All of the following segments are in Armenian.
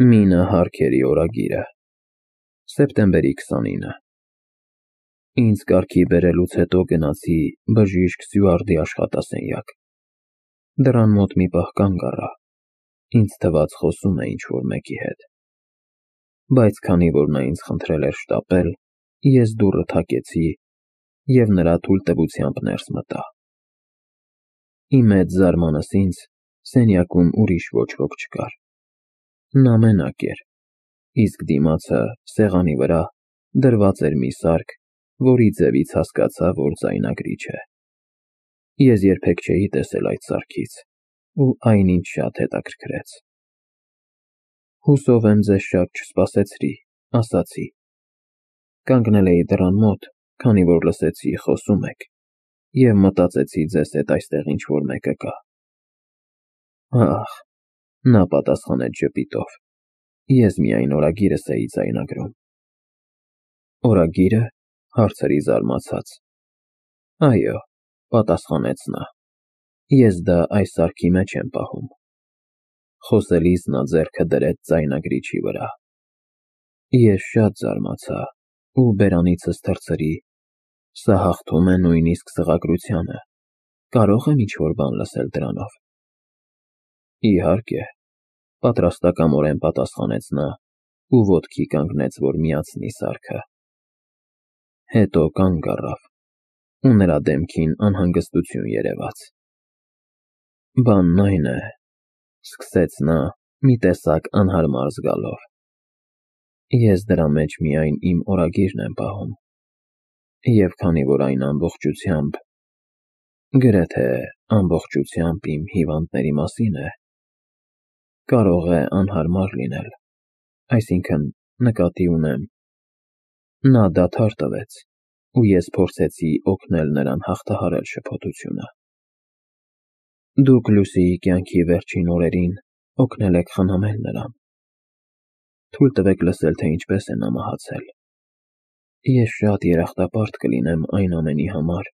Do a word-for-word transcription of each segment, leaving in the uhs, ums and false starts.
Մինը Հարքերի օրագիրը, սեպտեմբերի քսանինը։ Ինձ կարգի բերելուց հետո գնացի բժիշկ Սյուարդի աշխատասենյակ։ Դռան մոտ մի պահ կանգ առա, ինձ թվաց խոսում է ինչ-որ մեկի հետ։ Բայց քանի որ նա ինձ խնդրել էր շտապել, ես դուռը թակեցի և նրա թույլտվությամբ ներս մտա։ Ի մեծ զարմանս ինձ, սենյակում ուրիշ ոչ ոք չկար։ Նա մենակ էր, իսկ դիմացը, սեղանի վրա, դրված էր մի սարք, որի ձևից հասկացա, որ ձայնագրիչ է։ Ես երբեք չէի տեսել այդ սարքից, ու այն ինձ շատ հետաքրքրեց։ Հուսով եմ ձեզ շատ չսպասեցրի, ասացի։ Կանգնել էի դռան մոտ, քանի որ լսեցի խոսում եք, և մտածեցի ձեզ հետ այստեղ ինչ-որ մեկը կա։ Ահ, նա պատասխանեց ժպիտով, ես միայն օրագիրս էի ձայնագրում։ Օրագիրը, հարցրի զարմացած։ Այո, պատասխանեց նա, ես դա այս սարքի մեջ եմ պահում։ Խոսելիս նա ձեռքը դրեց ձայնագրիչի վրա։ Ես շատ զարմացա ու բերանիցս թռցրի, սա հաղթում է նույնիսկ սղագրությանը, կարո՞ղ եմ ինչ-որ բան լսել դրանով։ Իհարկե, պատրաստակամորեն պատասխանեց նա ու ոտքի կանգնեց, որ միացնի սարքը։ Հետո կանգ առավ, ու նրա դեմքին անհանգստություն երևաց։ Բանն այն է, սկսեց նա, մի տեսակ անհարմար զգալով, ես դրա մեջ միայն իմ օրագիրն եմ պահում, և քանի որ այն ամբողջությամբ, գրեթե ամբողջությամբ իմ հիվանդների մասին է, կարող է անհարմար լինել, այսինքն նկատի ունեմ։ Նա դադար տվեց, ու ես փորձեցի օգնել նրան հաղթահարել շփոթությունը։ Դուք Լուսիի կյանքի վերջին օրերին օգնել եք խնամել նրան։ Թույլ տվեք լսել, թե ինչպես է նա մահացել։ Ես շատ երախտապարտ կլինեմ այն ամենի համար,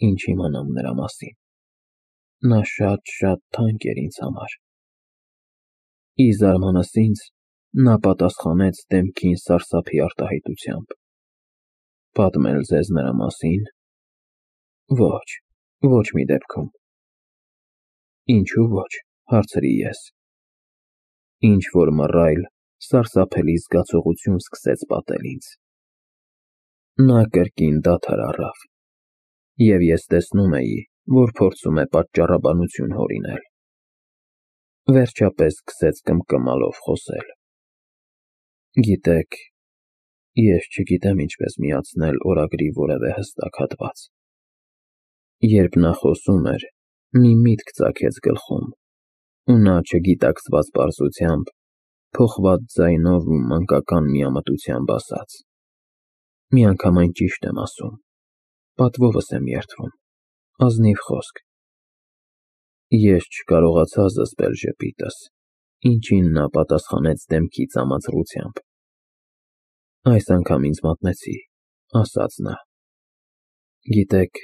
ինչ իմանամ նրա մասին։ Նա շատ-շատ թանկ էր ինձ համար։ Ի զարմանս ինձ, նա պատասխանեց դեմքին սարսափի արտահայտությամբ։ Պատմել ձեզ նրա մասին։ Ոչ, ոչ մի դեպքում։ Ինչու ոչ, հարցրի ես։ Ինչ-որ մռայլ, սարսափելի զգացողություն սկսեց պատել ինձ։ Նա կրկին դադար առավ, և ես տեսնում էի, որ փորձում է պատճառաբանություն հորինել։ Վերջապես սկսեց կմկմալով խոսել։ Գիտեք, ես չգիտեմ ինչպես միացնել օրագրի որևէ հստակ հատված։ Երբ նա խոսում էր, մի միտք ծագեց գլխում, ու նա չգիտակցված պարզությամբ, փոխված ձայնով ու մանկական միամտությամբ ասաց. Միանգամայն ճիշտ եմ ասում, պատվովս եմ երդվում, ազնիվ խոսք։ Ես չկարողացա զսպել ժպիտս, ինչին նա պատասխանեց դեմքի ծամածռությամբ։ Այս անգամ ինձ մատնեցի, ասաց նա։ Գիտեք,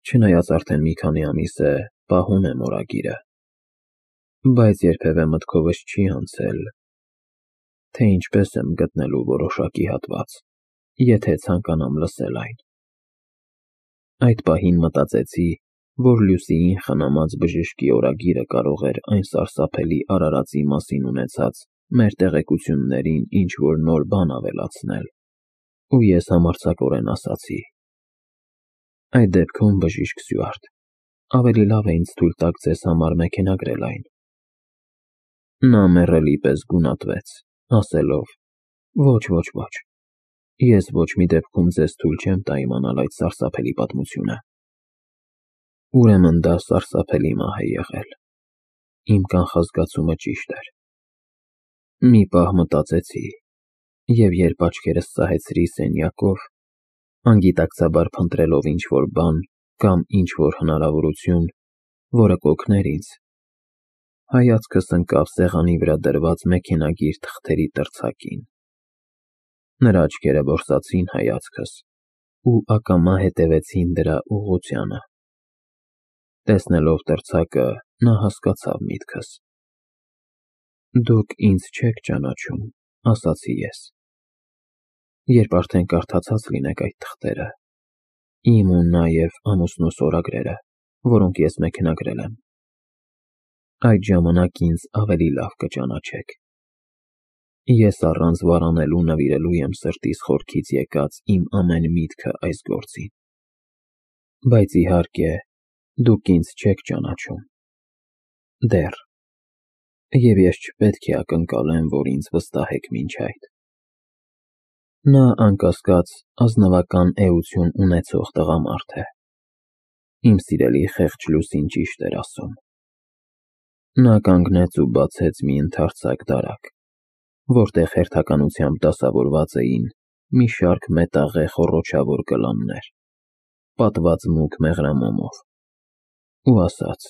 չնայած արդեն մի քանի ամիս է պահում եմ օրագիրը, բայց երբևէ մտքովս չի անցել, թե ինչպես եմ գտնելու որոշակի հատված, եթե ցանկանամ լսել այն։ Այդ պահին մտածեցի, որ Լուսիին խնամած բժշկի օրագիրը կարող էր այն սարսափելի արարածի մասին ունեցած մեր տեղեկություններին ինչ-որ նոր բան ավելացնել, ու ես համարձակորեն ասացի. Այդ դեպքում, բժիշկ Սյուարդ, ավելի լավ է ինձ թույլ տաք ձեզ համար մեքենագրել այն։ Նա մեռելի պես գունատվեց, ասելով. Ոչ, ոչ, ոչ, ես ոչ մի դեպքում ձեզ թույլ չեմ տա իմանալ այդ սարսափելի պատմությունը։ Ուրեմն դա սարսափելի մահ է եղել։ Իմ կանխազգացումը ճիշտ էր։ Մի պահ մտածեցի, և երբ աչքերս ծահեցրի սենյակով, անգիտակցաբար փնտրելով ինչ-որ բան կամ ինչ-որ հնարավորություն, որը կօգներ ինձ, հայացքս ընկավ սեղանի վրա դրված մեքենագիր թղթերի տրցակին։ Նրա աչքերը որսացին հայացքս ու ակամա հետևեցին դրա ուղղությանը։ Տեսնելով տրցակը, նա հասկացավ միտքս։ Դուք ինձ չեք ճանաչում, ասացի ես։ Երբ արդեն կարդացած լինեք այդ թղթերը, իմ ու նաև ամուսնուս օրագրերը, որոնք ես մեքենագրել եմ, այդ ժամանակ ինձ ավելի լավ կճանաչեք։ Ես առանց վարանելու նվիրելու եմ սրտիս խորքից եկած իմ ամեն միտքը այս գործին։ Բայց իհարկե, դուք ինձ չեք ճանաչում։ Դեռ։ Եվ ես չպետք է ակնկալեմ, որ ինձ վստահեք մինչ այդ։ Նա անկասկած ազնվական էություն ունեցող տղամարդ է։ Իմ սիրելի խեղճ Լուսին ճիշտ էր ասում։ Նա կանգնեց ու բացեց մի ընդարձակ դարակ, որտեղ հերթականությամբ դասավորված էին մի շարք մետաղե խոռոչավոր գլաններ, պատված մուգ մեղրամոմով, ու ասաց.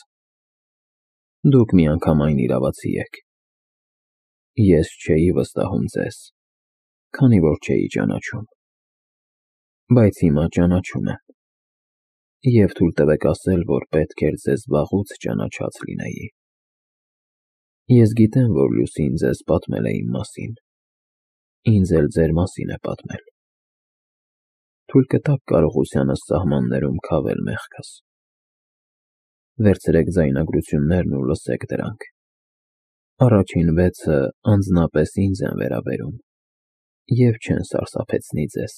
Դուք միանգամայն իրավացի եք։ Ես չէի վստահում ձեզ, քանի որ չէի ճանաչում։ Բայց հիմա ճանաչում եմ։ Եվ թույլ տվեք ասել, որ պետք էր ձեզ վաղուց ճանաչած լինեի։ Ես գիտեմ, որ Լուսին ձեզ պատմել է իմ մասին, ինձ էլ ձեր մասին է պատմել։ Թույլ կտաք կարողությանս սահմաններում քավել մեղքս։ Վերցրեք ձայնագրություններն ու լսեք դրանք։ Առաջին վեցը անձնապես ինձ են վերաբերում և չեն սարսափեցնի ձեզ։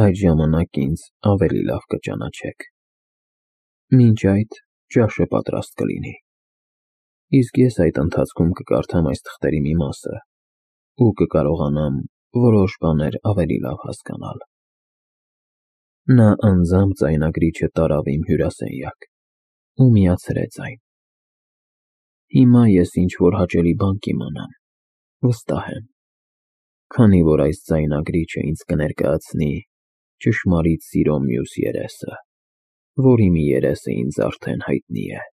Այդ ժամանակ ինձ ավելի լավ կճանաչեք։ Մինչ այդ ճաշը պատրաստ կլինի։ Իսկ ես այդ ընթացքում կկարդամ այս թղթերի մի մասը ու կկարողանամ որոշ բաներ ավելի լավ հասկանալ։ Նա անձամբ ձայնագրիչը տարավ իմ հյուրասենյակ ու միացրեց այն։ Հիմա ես ինչ-որ հաճելի բան կիմանամ, վստահ եմ, քանի որ այս ձայնագրիչը ինձ կներկայացնի ճշմարիտ սիրո մյուս երեսը, որի մի երեսը ինձ արդեն հայտնի է։